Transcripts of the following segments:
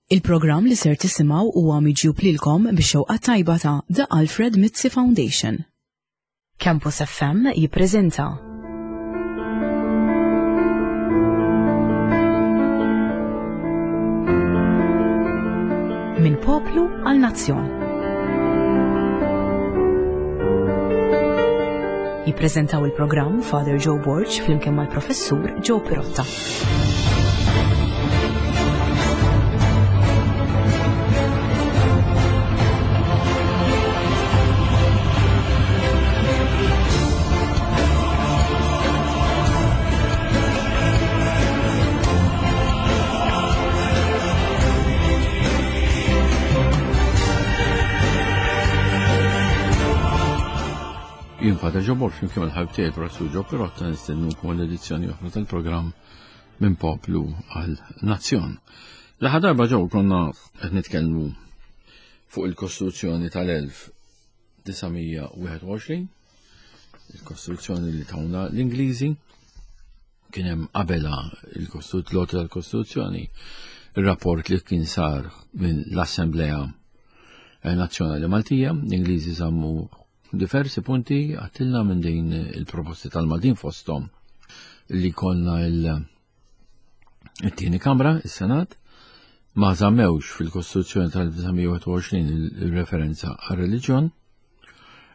Il-programm li ser tisimgħu huwa miġjub lilkom bix-xewqa tajba ta' The Alfred Mizzi Foundation. Campus FM jippreżenta Minn poplu għal nazzjon. Jippreżentaw il-programm Father Joe Borg flimkien mal-Professur Joe Pirotta. Jien Father Joe Borg, flimkien mal-ħabib tiegħi Professur Joe Pirotta nistennukom għall-edizzjoni oħra tal-programm minn poplu għal nazzjon. L-aħħar darba ġew konna qed nitkellmu fuq il-Kostituzzjoni tal-1921, il-Kostituzzjoni li tawna l-Ingliżi, kien hemm qabela il-Kostituzzjoni tal-Kostituzzjoni, il-rapport li kien sar minn l-Assemblea Nazzjonali Maltija, l-Ingliżi żammu Diversi punti għattilna minn din il-proposti tal-Maltin fosthom li konna il-tieni kamra, il-Senat, ma żammewx fil-Kostituzzjoni tal-1921 il-referenza għal-reliġjon,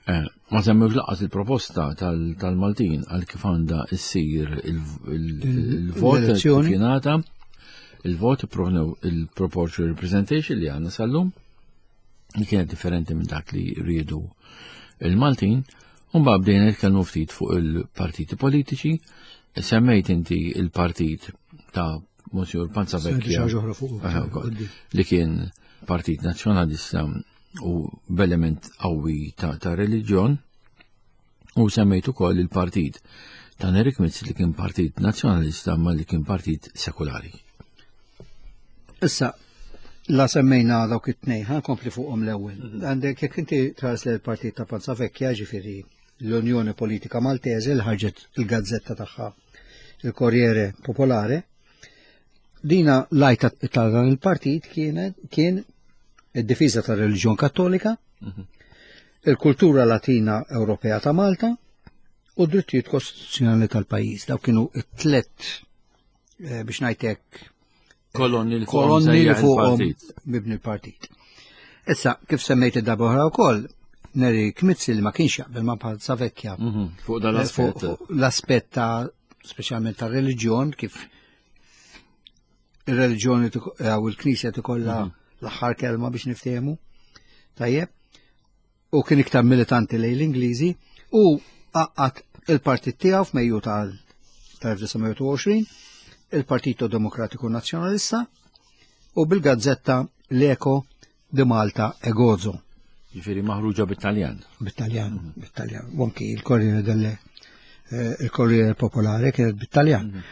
eh, ma żammewx laqas il-proposta tal-Maltin għal kif għandha issir il-vot kif jingħata, il-vot il-proportional representation li għandna sal-lum li kienet differenti minn dak li riedu il-Maltin, u mbagħad bdejna nitkellmu ftit fuq il-partiti politiċi, semmejt inti il-partit ta' Monsignor Panza Vecchia li kien partit nazzjonalista u b'element qawwi ta', ta reliġjon u semmejt ukoll il-partit ta' Nerik Mizzi li kien partit nazzjonalista ma li kien partit sekulari. Issa, la semmejna dawk it-tnejn, ħa nkompli fuqhom l-ewwel. Mhm. Għandek jekk inti tħares l partit ta' Panza Vecchia, ġifieri l-Unjoni Politika Maltese li ħarġet il-gazzetta tagħha il-Corriere Popolare, dina lajta ta' dan il-partit kienet kien id-difiża tar-reliġjon Kattolika, mhm. il-kultura Latina Ewropea ta' Malta u d-drittijiet kostituzzjonali tal-pajjiż. Daw kienu it-tlet eh, biex ngħidlek kolonni li kolonni li fuqhom mibni l-partit. Issa, kif semmejt id-darba oħra wkoll, Neri Kmizzi li ma kienx jaqbel ma bħal Savekja. Mhm, fuq dan l-aspett. Eh, l-aspett ta' speċjalment ta' reliġjon kif ir-reliġjoni eh, u l-Knisja tikollha mhm. l-aħħar kelma biex niftehmu. Tajjeb. U kien iktar militanti lejn l-Ingliżi u għaqqad il-partit tiegħu f'Mejju tal-1920, il-Partito Demokratiku Nazzjonalista u bil-gazzetta L-Eko di Malta e Gozo. Ġifieri maħruġa bit-Taljan. Bit-Taljan, mhm. bit-Taljan. U anki il-Corriere delle eh, il-Corriere Popolare kienet bit-Taljan. Mhm.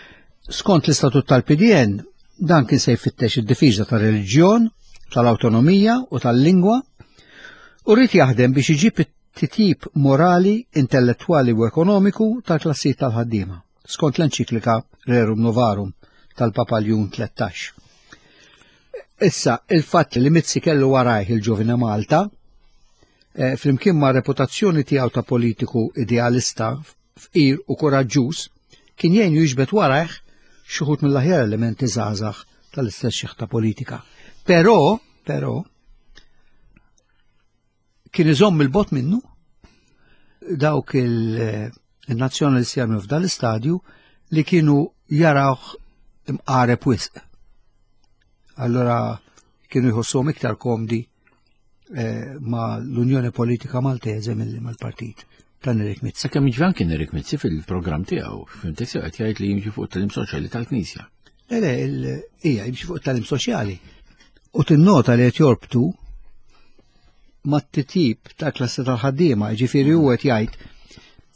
Skont l-istatut tal-PDN, dan kien se jfittex id-difiża tar-reliġjon, tal-awtonomija u tal-lingwa u rrid jaħdem biex iġib it-titjib morali, intellettwali u ekonomiku tal-klassijiet tal-ħaddiema, skont l-enċiklika Rerum Novarum tal-Papa Ljun 13. Issa, il-fatt li Mizzi kellu warajh il-Ġuvine Malta, eh, flimkien ma' reputazzjoni tiegħu ta' politiku idealista, fqir u kuraġġuż, kien jgħinu jiġbed warajh xi wħud mill-aħjar elementi żgħażagħ tal-istess xiħta politika. Però, però, kien iżomm il-bot minnu dawk il-nazzjonalisti għamlu f'dan l-istadju li kienu jarawh imqareb wisq. Allora kienu jħossuhom iktar komdi eh, ma l-Unjoni Politika Maltese milli mal-partit ta' Nerik Mizzi. Sakemm jiġri anke Nerik Mizzi fil-programm tiegħu, fimtek sew qed jgħid li jimxi fuq it-talim soċjali tal-Knisja. Le, le, hija jimxi fuq it-talim soċjali. U tinnota li qed jorbtu mat-titjib ta' klassi tal-ħaddiema, ġifieri huwa qed jgħid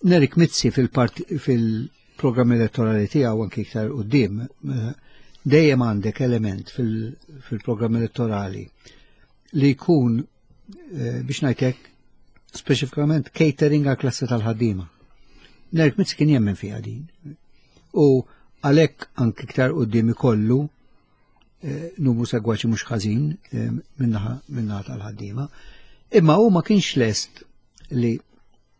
Nerik Mizzi fil-programm elettorali tiegħu anki iktar quddiem eh, dejjem għandek element fil-programm elettorali li jkun eh, biex ngħidlek speċifikament catering għal klassi tal-ħaddiema. Nerik Mizzi kien jemmen fiha din. U għalhekk anki iktar quddiem ikollu. eh, numru segwaċi mhux ħażin eh, minnaħa minnaħa tal-ħaddiema. Imma hu ma kienx lest li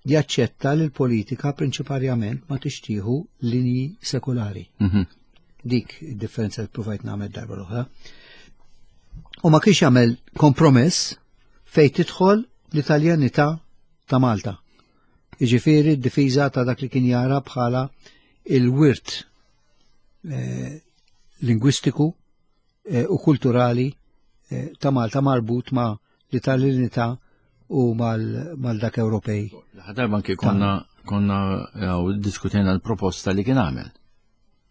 jaċċetta li l-politika prinċiparjament ma tixtieħu linji sekulari. Mhm. Dik id-differenza li provajt nagħmel darba l-oħra. U ma kienx jagħmel kompromess fejn tidħol l-Italjanità ta' Malta. Jiġifieri d-difiża ta' dak li kien jara bħala il-wirt eh, lingwistiku eh, u kulturali eh, ta' Malta marbut ma' l-Italjanità u mal-dak Ewropej. Darba anke konna konna diskutejna l-proposta li kien għamel.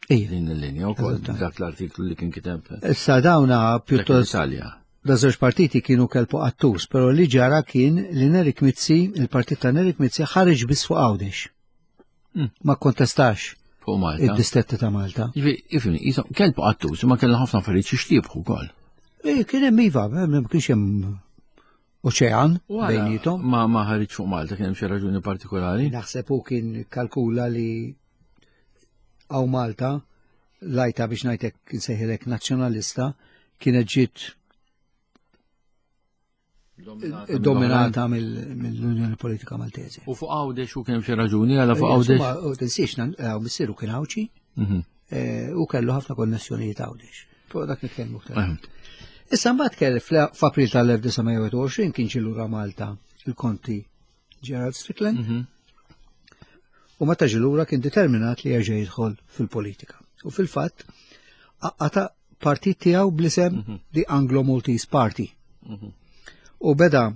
Din il-linja u kol dak l-artiklu li kien kiteb. Issa dawna pjuttost. Italja. Da żewġ partiti kienu kelpu qattus, però li ġara kien li Nerik Mizzi, il-partit ta' Nerik Mizzi ħareġ biss fuq Għawdex. Hmm. Ma kontestax fuq Malta. Id-distretti ta' Malta. Ifni, jisom, kelbu qattus, ma kellha ħafna affarijiet xi xtiebħu wkoll. Eh, kien hemm iva, ma kienx hemm oċean bejnietom. Ma ma ħareġ fuq Malta kien hemm xi raġuni partikolari. Naħseb hu kien kalkula li għaw Malta lajta biex ngħidlek nsejħilek nazzjonalista kienet ġiet dominata mill-Unjoni Politika Maltese. U fuq Għawdex u kien xi raġuni għala fuq Għawdex? U tinsiex, missieru kien Għawdxi mhm. eh, u kellu ħafna konnessjonijiet Għawdex. Fuq dak nitkellmu aktar. Issa mbagħad kell f'April tal-1921 kien ġie lura Malta il-Konti Gerald Strickland. Mhm. U meta ġie lura kien determinat li jerġa' jidħol fil-politika. U fil-fatt għata partit tiegħu bl-isem mhm. The Anglo-Maltese Party. Mhm. U beda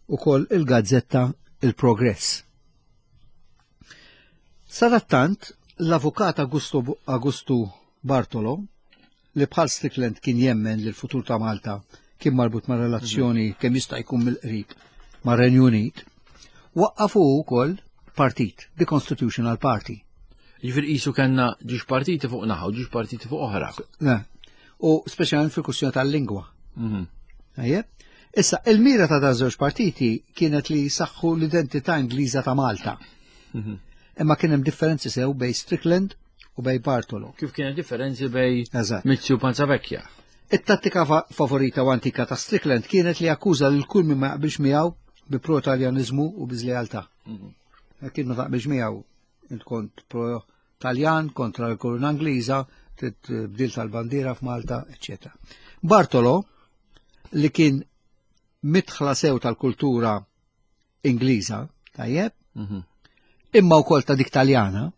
ukoll il-gazzetta Il-Progress. Sadattant, l-avukat Augusto Bartolo li bħal Strickland kien jemmen li l-futur ta' Malta kien marbut ma' relazzjoni mhm. kemm jista' jkun mill-qrib ma' Renju Unit, waqqafu wkoll partit, the Constitutional Party. Ġifieri qisu kellna ġiex partiti fuq naħa u ġiex partiti fuq oħra. U speċjalment fil-kwistjoni tal-lingwa. Mhm. Issa, il-mira ta' daż żewġ partiti kienet li jsaħħu l-identità Ingliża ta' Malta. Mhm. Imma kien hemm differenzi sew bej Strickland u bej Bartolo. Kif kien differenzi bej Mizzi u Panzavecchia. It-tattika favorita u antika ta' Strickland kienet li akkuża lil kull min ma jaqbilx miegħu bi pro-Taljanizmu u bi żlealtà. Mhm. Kien ma taqbilx miegħu int kont pro-Taljan kontra l-koruna Ingliża, tibdil tal-bandiera f'Malta, eċċetera. Bartolo li kien mitħla sew tal-kultura Ingliża, tajjeb, mhm. imma wkoll ta' dik Taljana,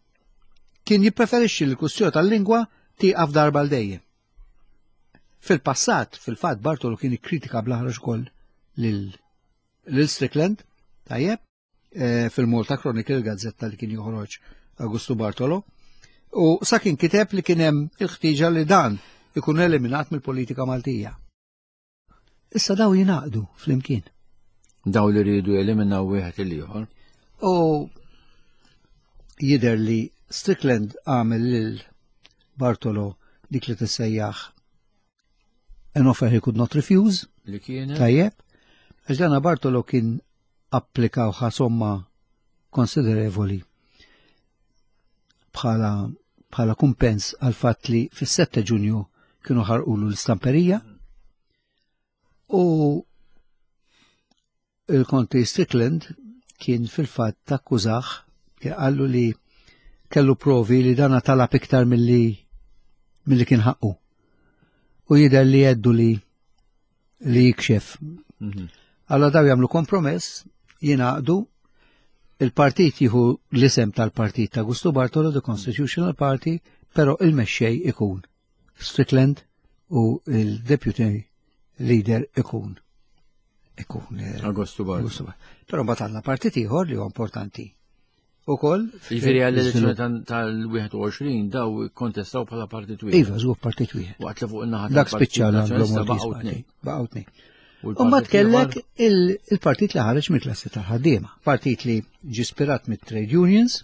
kien jippreferixxi li l-kwistjoni tal-lingwa tieqaf darba l dejjem. Fil-passat, fil-fatt Bartolo kien ikkritika bl-aħrax ukoll lil Strickland, tajjeb, eh, fil-Malta Chronicle, gazzetta li kien joħroġ Augusto Bartolo, u sa kien kiteb li kien hemm il-ħtieġa li dan ikun eliminat mill-politika Maltija. Issa daw jingħaqdu flimkien. Daw li rridu jeliminaw wieħed il-ieħor. U jidher li Strickland għamel lil Bartolo dik li tissejjaħ an offer he could not refuse. Li kienet. Tajjeb. Għax dana Bartolo kien applikaw somma konsiderevoli bħala bħala kumpens għal fatt li fis-7 Ġunju kienu ħarqulu l-istamperija u il-Konti Strickland kien fil-fatt takkużah kien qallu li kellu provi li dana talab iktar milli milli kien ħaqqu. U jidher li jeddu li li jikxef. Mhm. Alla daw jagħmlu kompromess, jingħaqdu, il-partit jieħu l-isem tal-partit ta' Gusto Bartolo, the Constitutional Party, però il-mexxej ikun Strickland u il-deputy leader ikun ikun eh, Augusto Bartolo. Però mbagħad għandna partit ieħor li huwa importanti ukoll. Jiġifieri għall-elezzjoni tal-21 daw kontestaw bħala partit wieħed. Iva, żgur partit wieħed. Waqt li fuq in-naħa Dak spiċċa l-Anglo baqgħu tnejn. Baqgħu tnejn. U ma tkellek il-partit li ħareġ mill-klassi tal-ħaddiema. Partit li ġi spirat mit-trade unions,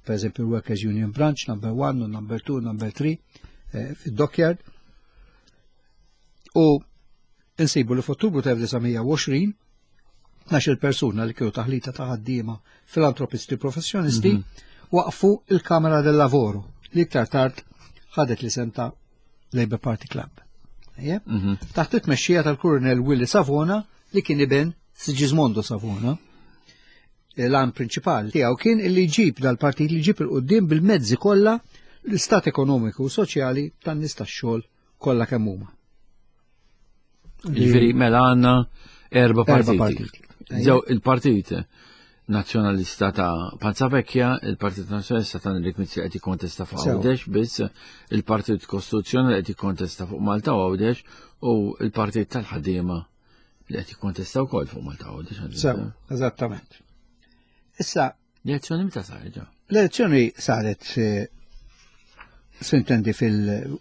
per eżempju Workers Union Branch number 1 u number 2, number 3 eh, fid-dockyard. U insibu li f'Ottubru ta' 1920 12 persuna li kienu taħlita ta' ħaddiema filantropisti professjonisti mm -hmm. waqfu il-Kamera del Lavoro li iktar tard ħadet l-isem ta' Labour Party Club. Mhm. Taħt it-tmexxija tal-Kurunell Willi Savona li kien iben Sigismondo Savona. L-għan prinċipali tiegħu kien illi jġib dal-partit li jġib il-qudiem bil-mezzi kollha l-istat ekonomiku u soċjali tan-nies tax-xogħol kollha kemm huma. Jiġifieri mela għandna erba' partiti. Ġew il-partit Nazzjonalista ta' Panza Vecchia, il-Partit Nazzjonalista ta' Enrique Mizzi qed jikkontesta fuq Għawdex biss, il-Partit Kostituzzjonali qed jikkontesta fuq Malta u Għawdex u il-Partit tal-Ħaddiema li qed jikkontesta wkoll fuq Malta Għawdex. Sew, eżattament. Issa L-elezzjoni meta saret ġa? L-elezzjoni saret eh, sintendi fil-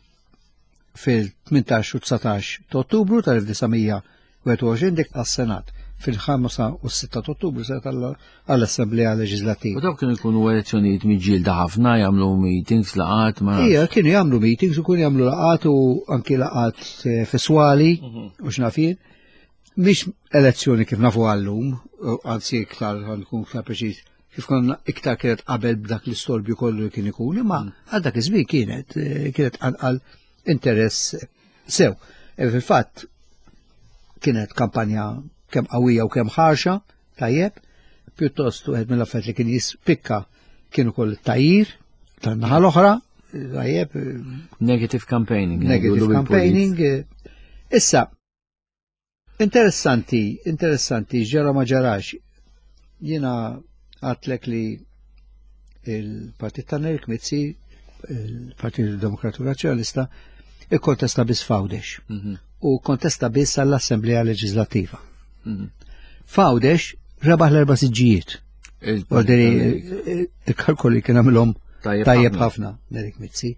fil-18 u 19 ta' Ottubru tal-1921 dik għas-Senat fil-5 u 6 ta' Ottubru saret għall-Assemblea Leġislattiva. U dawk kienu jkunu elezzjonijiet miġġielda ħafna jagħmlu meetings laqat ma. Ija, kienu jagħmlu meetings u kienu jagħmlu laqat u anki laqat eh, fiswali mhm. u xnafin. Mhix elezzjoni kif nafu għallum, anzi iktar nkun iktar preċiż, kif konna iktar kienet qabel b'dak l-istorbju kollu li kien ikun, imma mm. għal dak iż-żmien kienet eh, kienet anqal interess sew. E fil-fatt kienet kampanja kemm qawwija u kemm ħarxa, tajjeb, pjuttost wieħed mill-affarijiet li kien jispikka kien ukoll it-tajjir tan-naħa l-oħra, tajjeb. Negative campaigning. Negative campaigning. Issa, Interessanti, interessanti, ġara ma ġarax. Jiena għatlek li il-Partit ta' Nerik Mizzi, il-Partit Demokratiku Nazzjonalista, ikkontesta biss f'Għawdex. Mhm. U kontesta biss għall-Assemblea Leġislattiva. Mhm. F'Għawdex rebaħ l-erba' siġġijiet. Il-kalkoli kien għamilhom tajjeb ħafna Nerik Mizzi.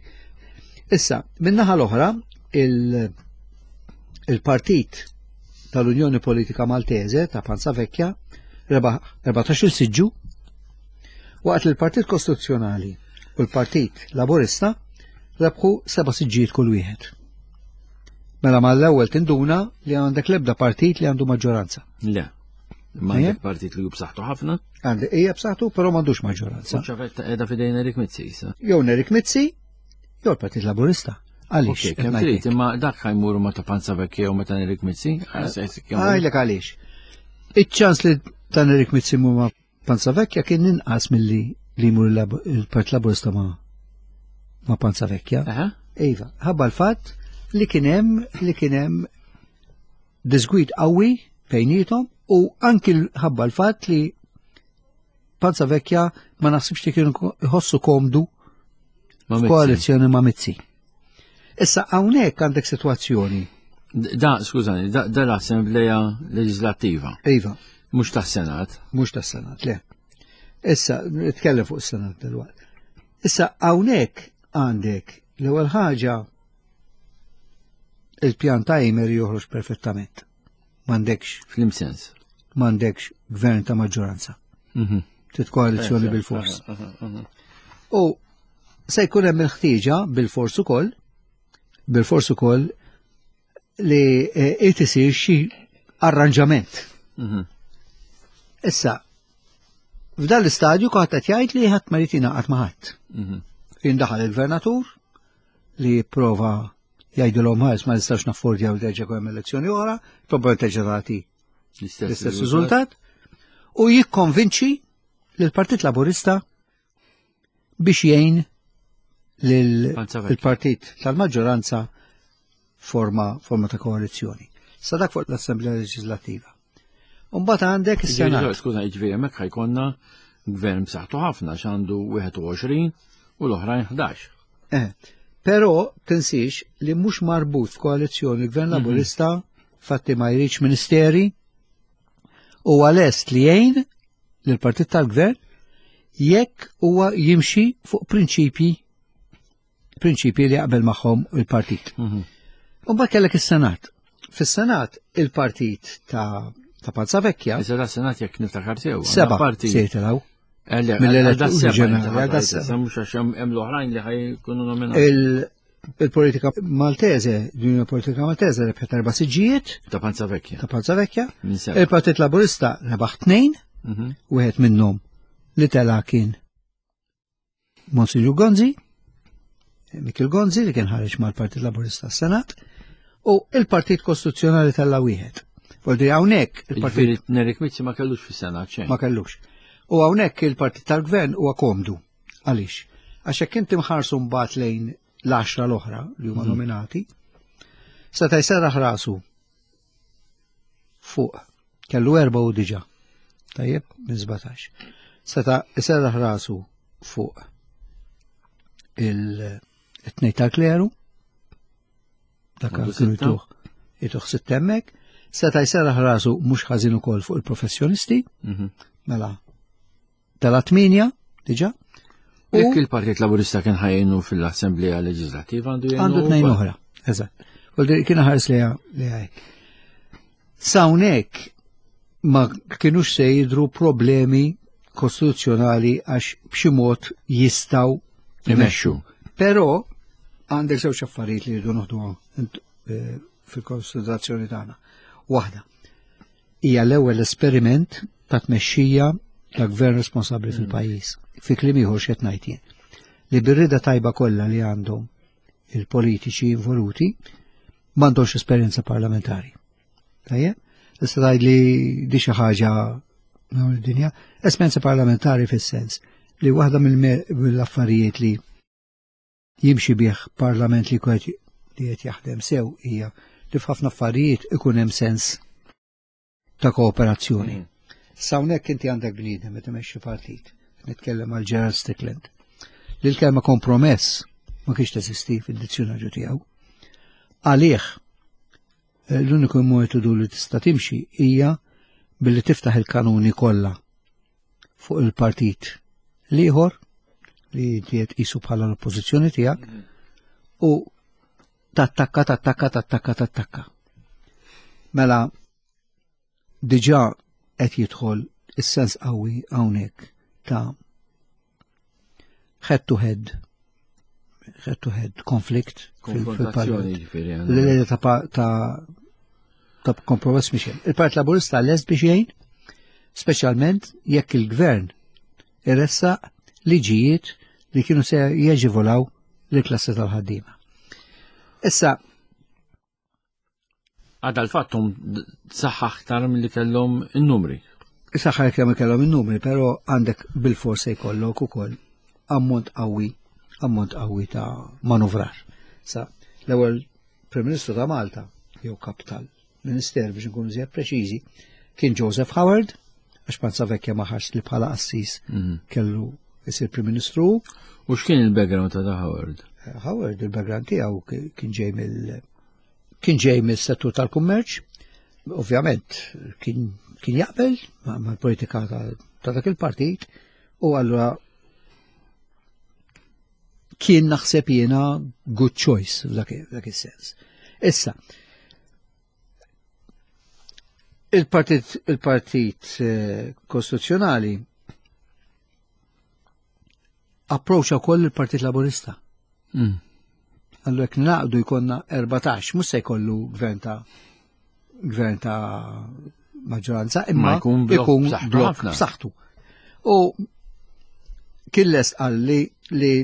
Issa, minnaħa l-oħra, il-partit tal-Unjoni Politika Maltese ta' Panza Vecchia rebaħ 14 siġġu waqt li l-Partit Kostituzzjonali u l-Partit Laburista rebħu seba' siġġijiet kull wieħed. Mela mal-ewwel tinduna li għandek l-ebda partit li għandu maġġoranza. Le. Ma għandek partit li hu b'saħħtu ħafna. Għandek hija b'saħħtu, però m'għandux maġġoranza. Ċavetta qiegħda f'idejn Erik Mizzi issa. Jew Erik Mizzi, jew l-Partit Laburista. Għaliex? Kemm trid, imma dak ħajmur ma ta' Panza Vecchia u ma ta' Erik Mizzi? Għajlek għaliex. Iċ-ċans li ta' Erik Mizzi ma' Panza Vecchia kien inqas milli li jmur il-Partit Laburista ma' ma' Panza Vecchia. Iva, ħabba l-fatt li kien hemm li kien hemm disgwid qawwi bejniethom u anki ħabba l-fatt li Panza Vecchia ma naħsibx li kienu jħossu komdu f'koalizzjoni ma' Mizzi. Issa hawnhekk għandek sitwazzjoni. Da, skużani, da, da l-Assembleja Leġislattiva. Iva. Mhux tas-Senat. Mhux tas-Senat, le. Issa, nitkellem fuq is-Senat dal-waqt. Issa hawnhekk għandek l-ewwel ħaġa il-pjan ta' Imer joħroġ perfettament. M'għandekx. Flim sens. M'għandekx gvern ta' maġġoranza. Mhm. Trid koalizzjoni bil-fors. U se jkun hemm il-ħtieġa bil-fors ukoll, bil-fors ukoll li eh, irid isir xi arranġament. Mhm. Issa, f'dan l-istadju kulħadd qed jgħid li ħadd ma jrid jingħaqad ma' ħadd. Mhm. Jindaħal il-gvernatur li jipprova jgħidilhom ħares ma nistax naffordjaw terġa' hemm elezzjoni oħra, probabli terġa' tagħti l-istess riżultat u jikkonvinċi lill-Partit Laburista biex jgħin lill-partit tal-maġġoranza forma forma ta' koalizzjoni. Sa dak fuq l-Assemblea Leġislattiva. Umbagħad għandek is-Senat. Skuża, jiġifieri hemmhekk ħajkonna gvern b'saħħtu ħafna x'għandu 21 u l-oħrajn 11. Eh, però tinsiex li mhux marbut f'koalizzjoni gvern mhm. Laburista fatti ma jridx ministeri u għalest li jgħin lill-partit tal-gvern jekk huwa jimxi fuq prinċipji prinċipji li jaqbel magħhom il-partit. Mhm. U mbagħad kellek is-Senat. Fis-Senat il-partit ta' ta' Palza Vecchia. Iżda da Senat jekk niftakar sew. Seba' parti se jitilgħu. Eh, Mill-eletturi ġenerali. Mhux għax hemm l-oħrajn li ħajkunu nominati. Il-politika Maltese, l-Unjoni Politika Maltese rebħet erba' siġġijiet. Ta' Panza Vecchia. Ta' Panza Vecchia. Il-Partit Laburista rebaħ tnejn, mhm. wieħed minnhom li tela kien Monsignor Gonzi, Mikil Gonzi li kien ħareġ mal-Partit Laburista s-Senat, U il-Partit Kostituzzjonali tella wieħed. Voldi hawnhekk il-Partit Nerik Mizzi ma kellux fis-Senat xejn. Ma kellux. U hawnhekk il-Partit tal-Gvern huwa komdu. Għaliex? Għax hekk inti mħarsu mbagħad lejn l-għaxra l-oħra li huma mhm. nominati, seta' jserraħ rasu fuq kellu erba' u diġà. Tajjeb, minn 17. Seta' jserraħ rasu fuq il-tnej tal-kleru, dak kienu jtuh jtuh sittemmek, seta' jserraħ rasu mhux ħażin ukoll fuq il-professjonisti, mhm. mela tela tminja diġà. Jekk il-Partit Laburista kien ħajjinu fil-Assemblea Leġislattiva għandu jgħinu. Għandu tnejn oħra, eżatt. Kien ħares li hekk. Sawnek ma kienux se jidru problemi kostituzzjonali għax b'xi mod jistgħu imexxu. Però għandek żewġ affarijiet li jridu noħdu eh, fil-konsiderazzjoni tagħna. Waħda, hija l-ewwel esperiment ta' tmexxija ta' gvern responsabbli mm. fil-pajjiż. Fi kliem ieħor x'qed ngħid jien. Li bir-rida tajba kollha li għandhom il-politiċi involuti m'għandhomx esperjenza parlamentari. Tajjeb? Tista' tgħid li di xi ħaġa id-dinja, esperjenza parlamentari fis-sens li waħda mill-affarijiet li jimxi bih parlament li qed li qed jaħdem sew hija li f'ħafna affarijiet ikun hemm sens ta' kooperazzjoni. Mm. Sawnek inti għandek bniedem meta imexxi partit, nitkellem għal Gerald Strickland. Li l-kelma kompromess ma kienx teżisti fid-dizzjonarju tiegħu. Għalih eh, l-uniku metodu li tista' timxi hija billi tiftaħ il-kanuni kollha fuq il-partit l-ieħor li qed qisu bħala l-oppożizzjoni tiegħek u tattakka, tattakka, tattakka, tattakka. Mela diġà qed jidħol is-sens qawwi hawnhekk ta' head to head head to head konflikt fil-parlament. L-idea ta' ta' ta' kompromess mhix hemm. Il-Partit Laburista lest biex jgħin, speċjalment jekk il-gvern iressaq liġijiet li kienu se jeġivolaw lill-klassi tal-ħaddiema. Issa, Għadha l-fattum saħħa aktar milli kellhom in-numri. Saħħa kemm kellhom in-numri, però għandek bil-forsa jkollok ukoll ammont qawwi, ammont qawwi ta' manuvrar. Sa l-ewwel Prim Ministru ta' Malta, jew kap tal-Minister biex nkunu żjed preċiżi, kien Joseph Howard, għax Panza Vecchia ma ħax li bħala qassis mhm. kellu jsir Prim Ministru. U x'kien il-background ta' Howard? Eh, Howard, il-background tiegħu kien ġej mill Kien ġej mis-settur tal-kummerċ, ovvjament kien, kien jaqbel mal-politika ta', ta dak il-partit u allura kien naħseb jiena good choice f'dak is-sens. Issa, il-partit il-partit eh, kostituzzjonali approacha wkoll il-Partit Laburista. Mm. Allura jekk naqdu jkollna 14, mhux se jkollu gvern ta' gvern ta' maġġoranza, imma jkun blok b'saħħtu. U kien lest qal li li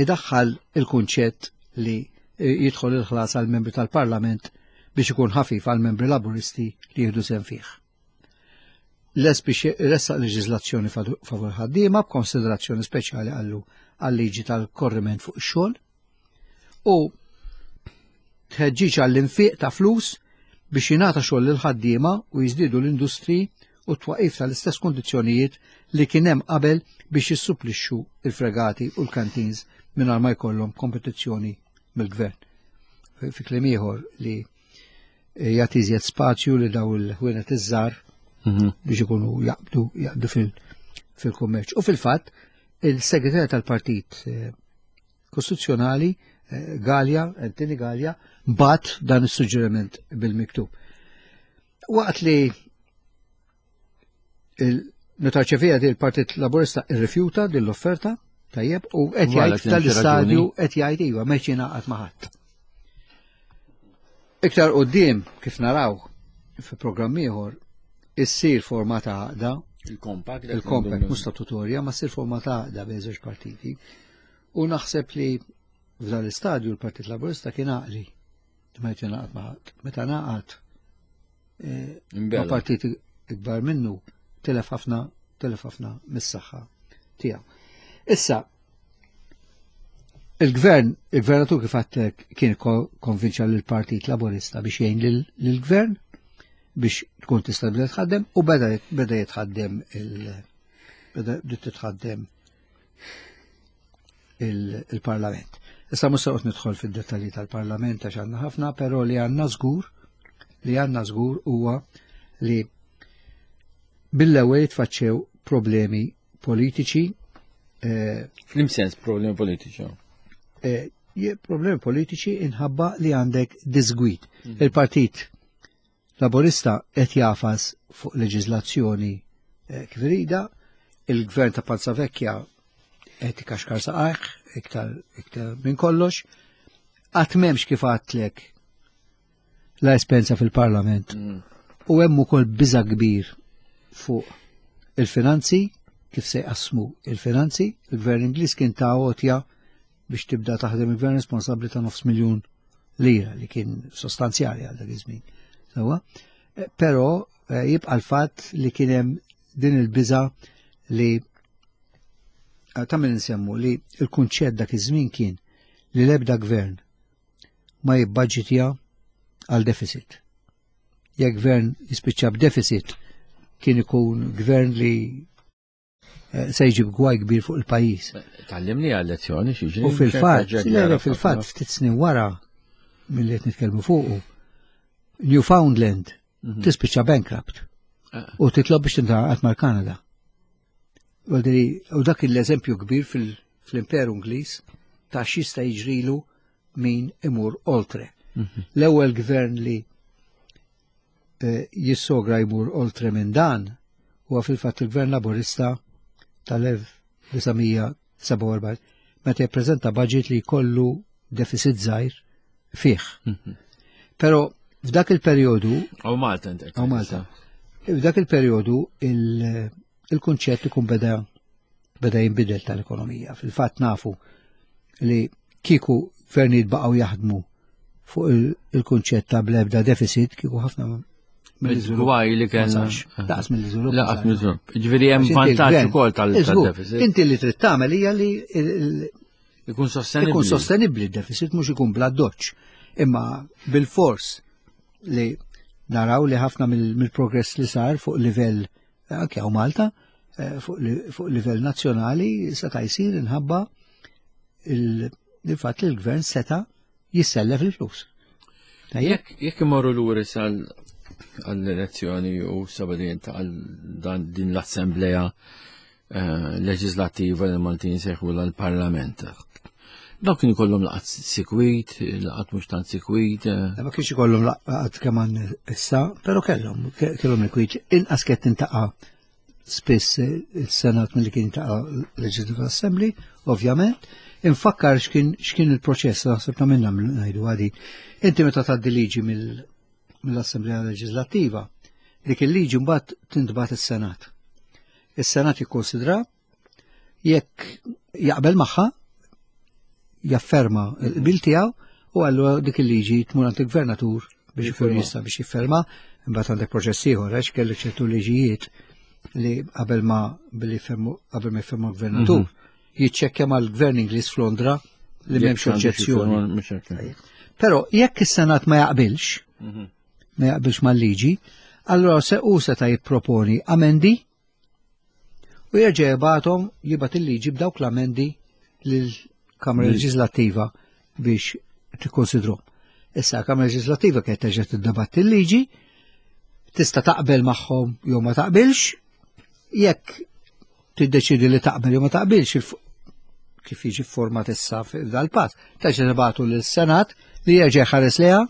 idaħħal il-kunċett li jidħol il-ħlas għal membri tal-Parlament biex ikun ħafif għal membri laburisti li jieħdu sehem fih. Les biex iressaq leġiżlazzjoni favur ħaddiema b'konsiderazzjoni speċjali għallu għal-liġi tal-korriment fuq ix-xogħol u tħeġġiġ għall-infiq ta' flus biex jingħata xogħol lil ħaddiema u jiżdiedu l-industri u t-twaqif tal-istess kundizzjonijiet li kien hemm qabel biex jissupplixxu il-fregati u l-canteens mingħajr ma jkollhom kompetizzjoni mill-gvern. Fi kliem ieħor li Eh, jagħti iżjed spazju li daw il-ħwienet iż-żgħar mhm. biex ikunu jaqbdu jaqbdu fil-kummerċ. U fil-fatt, il-segretarja tal-Partit eh, Kostituzzjonali eh, Galja, Anthony Galja, bat dan is-suġġeriment bil-miktub. Waqt li meta ċevija di l-Partit Laburista irrifjuta din l-offerta, tajjeb, u qed jgħid tal-istadju qed jgħid iva meċ jingħaqad ma' ħadd. Iktar qudiem kif naraw fi programm ieħor issir forma ta' għaqda. Il-compact. Il-compact mhux statutorja, ma ssir forma ta' għaqda bejn żewġ partiti. U naħseb li f'dan l-istadju l-Partit Laburista kien għaqli. Ma jrid jingħaqad ma' ħadd. Meta ngħaqad eh, ma' partit ikbar minnu tilef ħafna tilef ħafna mis-saħħa tiegħu. Issa, il-gvern, il-gvernatur kif għattek kien konvinċa l-Partit Laburista biex jgħin lill-gvern biex tkun tista' bda tħaddem u beda beda jitħaddem il beda bdiet titħaddem il-Parlament. Issa mhux se nidħol fid-dettalji tal-Parlament għax għandna ħafna, però li għandna żgur li għandna żgur huwa li bil-ewwel jitfaċċew problemi politiċi. Eh, Flim sens problemi politiċi? Eh, problemi politiċi inħabba li għandek disgwid. Mhm. Il-partit Laburista qed jafas fuq leġiżlazzjoni eh, kif irida, il-gvern ta' Palza Vecchia qed ikaxkar saqajh iktar iktar minn kollox, qatt m'hemmx kif għadtlek la esperjenza fil-Parlament. U hemm ukoll biża' kbir fuq il-finanzi, kif se jqassmu il-finanzi, il-Gvern Ingliż kien ta' għotja biex tibda taħdem il-gvern responsabbli ta' nofs miljun lira li kien sostanzjali għal dak iż-żmien. Sewwa? Eh, però eh, jibqa' l-fatt li kien hemm din il-biża li eh, ta' min insemmu li l-kunċett dak iż-żmien kien li l-ebda gvern ma jibbaġitja għal deficit. Jekk gvern jispiċċa b'deficit kien ikun gvern li Eh, se jġib gwaj kbir fuq il-pajjiż. Tallimni għal lezzjoni xi U fil-fatt, le fil-fatt ftit snin wara milli qed nitkellmu fuqu, Newfoundland mhm. tispiċċa bankrupt eh. u titlob biex tintaqgħod mal-Kanada. U dak l-eżempju kbir fil-Imperu Ingliż ta' x'jista' jiġrilu min imur oltre. Mhm. L-ewwel gvern li eh, jissogra jmur oltre minn dan huwa fil-fatt il-Gvern Laburista tal-1947 meta jippreżenta budget li jkollu deficit żgħir fih. Mhm. Però f'dak il-perjodu. Aw Malta inti. Aw Malta. F'dak il-perjodu il-kunċett ikun beda beda jinbidel tal-ekonomija. Fil-fatt nafu li kieku gvernijiet baqgħu jaħdmu fuq il-kunċett ta' blebda deficit kieku ħafna mill-iżvilupp. li kien. Daqs mill-iżvilupp. Laqas mill-iżvilupp. Ġifieri hemm vantaġġ ukoll tal-deficit. Inti li trid tagħmel hija li ikun sostenibbli. Ikun sostenibbli d-deficit mhux ikun bla doċ. Imma bil-fors li naraw li ħafna mill-progress li sar fuq livell anke hawn Malta eh, fuq livell nazzjonali seta' jsir inħabba il-fatt li l-gvern seta' jissellef il-flus. Jekk imorru lura sal għall-elezzjoni u sabadin ta' din l-assembleja eh, leġislattiva li Maltin seħu l-Parlament. Dawk kien ikollhom laqat sikwit, laqat mhux tant sikwit. Eh. Ma kienx ikollhom laqat kemm issa, però kellhom kellhom il-kwit inqas kien tintaqa' spiss il-Senat milli kien ta' Legislative Assembly, ovvjament. Infakkar x'kien x'kien il-proċess naħseb ta' minna ngħidu għadi. Inti meta tgħaddi liġi mill-Assemblea Leġislattiva, dik il-liġi mbagħad tintbagħat is-Senat. Is-Senat jikkonsidra jekk jaqbel magħha jafferma l-qbil tiegħu u allura dik il-liġi tmur għand il-gvernatur biex ikun jista' biex jifferma, imbagħad għandek proċess ieħor għax kellek ċertu liġijiet li qabel ma billi qabel ma jifferma l-gvernatur mhm. jiċċekkja mal-gvern Ingliż f'Londra li m'hemmx oġġezzjoni. Però jekk is-Senat ma jaqbilx, mhm. ma jaqbilx mal-liġi, allura se u seta' jipproponi amendi U jerġa' jibgħathom jibgħat il-liġi b'dawk l-amendi lill-Kamra Leġislattiva biex tikkonsidrom. Issa l-Kamra Leġislattiva kienet terġa' tiddebatti l-liġi, tista' taqbel magħhom jew ma taqbilx, jekk tiddeċidi li taqbel jew ma taqbilx kif jiġi format issa f'dal-pass, terġa' tibgħatu lis-Senat li jerġa' jħares leha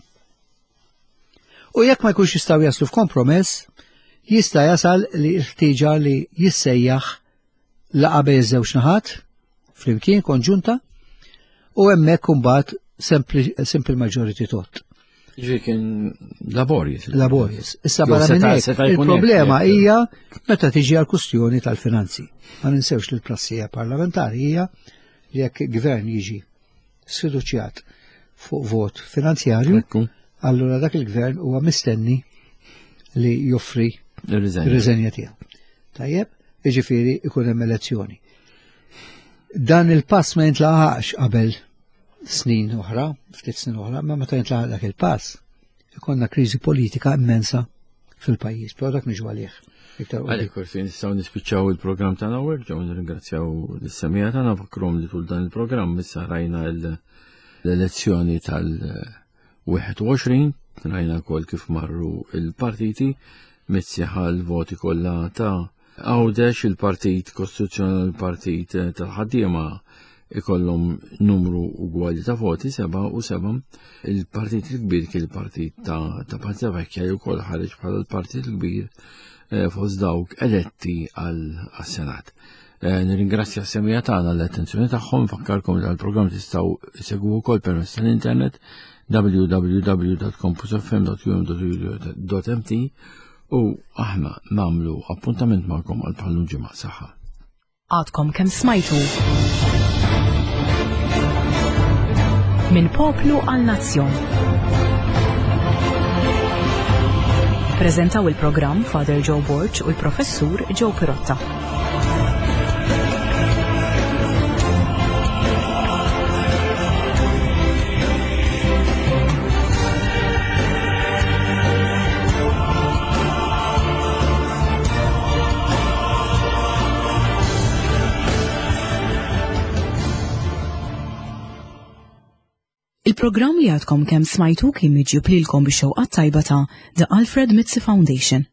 U jekk ma jkunx jistgħu jaslu f'kompromess, jista' jasal li l-ħtieġa li jissejjaħ laqa bejn iż-żewġ naħat flimkien konġunta u hemmhekk imbagħad simple majority tot. Ġifieri kien laborious. Laborious. Issa barra minn hekk, il-problema hija meta tiġi għal kustjoni tal-finanzi. Ma ninsewx li l-prassija parlamentari hija li jekk gvern jiġi sfiduċjat fuq vot finanzjarju, allura dak il-gvern huwa mistenni li joffri ir-riżenja tiegħu. Tajjeb, jiġifieri ikun hemm elezzjoni. Dan il-pass ma jintlaqax qabel snin oħra, ftit snin oħra, ma meta jintlaqaq dak il-pass, ikonna kriżi politika immensa fil-pajjiż, però dak niġu għalih. Għalek forsi nistgħu nispiċċaw il-programm tagħna hawnhekk ġew nirringrazzjaw lis-semija tagħna fakrom li tul dan il-programm issa rajna l-elezzjoni tal-21, rajna wkoll kif marru il-partiti, Mizzi ħa l-voti kollha ta' Għawdex, il-Partit Kostituzzjonali il-Partit tal-Ħaddiema ikollhom numru ugwali ta' voti, 7 u 7. Il-partit il-kbir kien il-partit ta', ta Panzavecchia li wkoll ħareġ bħala l-partit il-kbir eh, fost dawk eletti għal-Senat. Eh, nirringrazzja s-semija tagħna l-attenzjoni tagħhom, fakkarkom li għall-programm tistgħu segwu wkoll permezz tal-internet www.campusfm.um.mt u aħna nagħmlu appuntament magħkom għal bħallu ġimgħa saħħa. Għadkom kemm smajtu. Minn poplu għal nazzjon. Prezentaw il-programm Father Joe Borg u l-Professur Joe Pirotta. Il-programm li għadkom kemm smajtu kien miġjub lilkom bix-xewqat tajba ta' The Alfred Mizzi Foundation.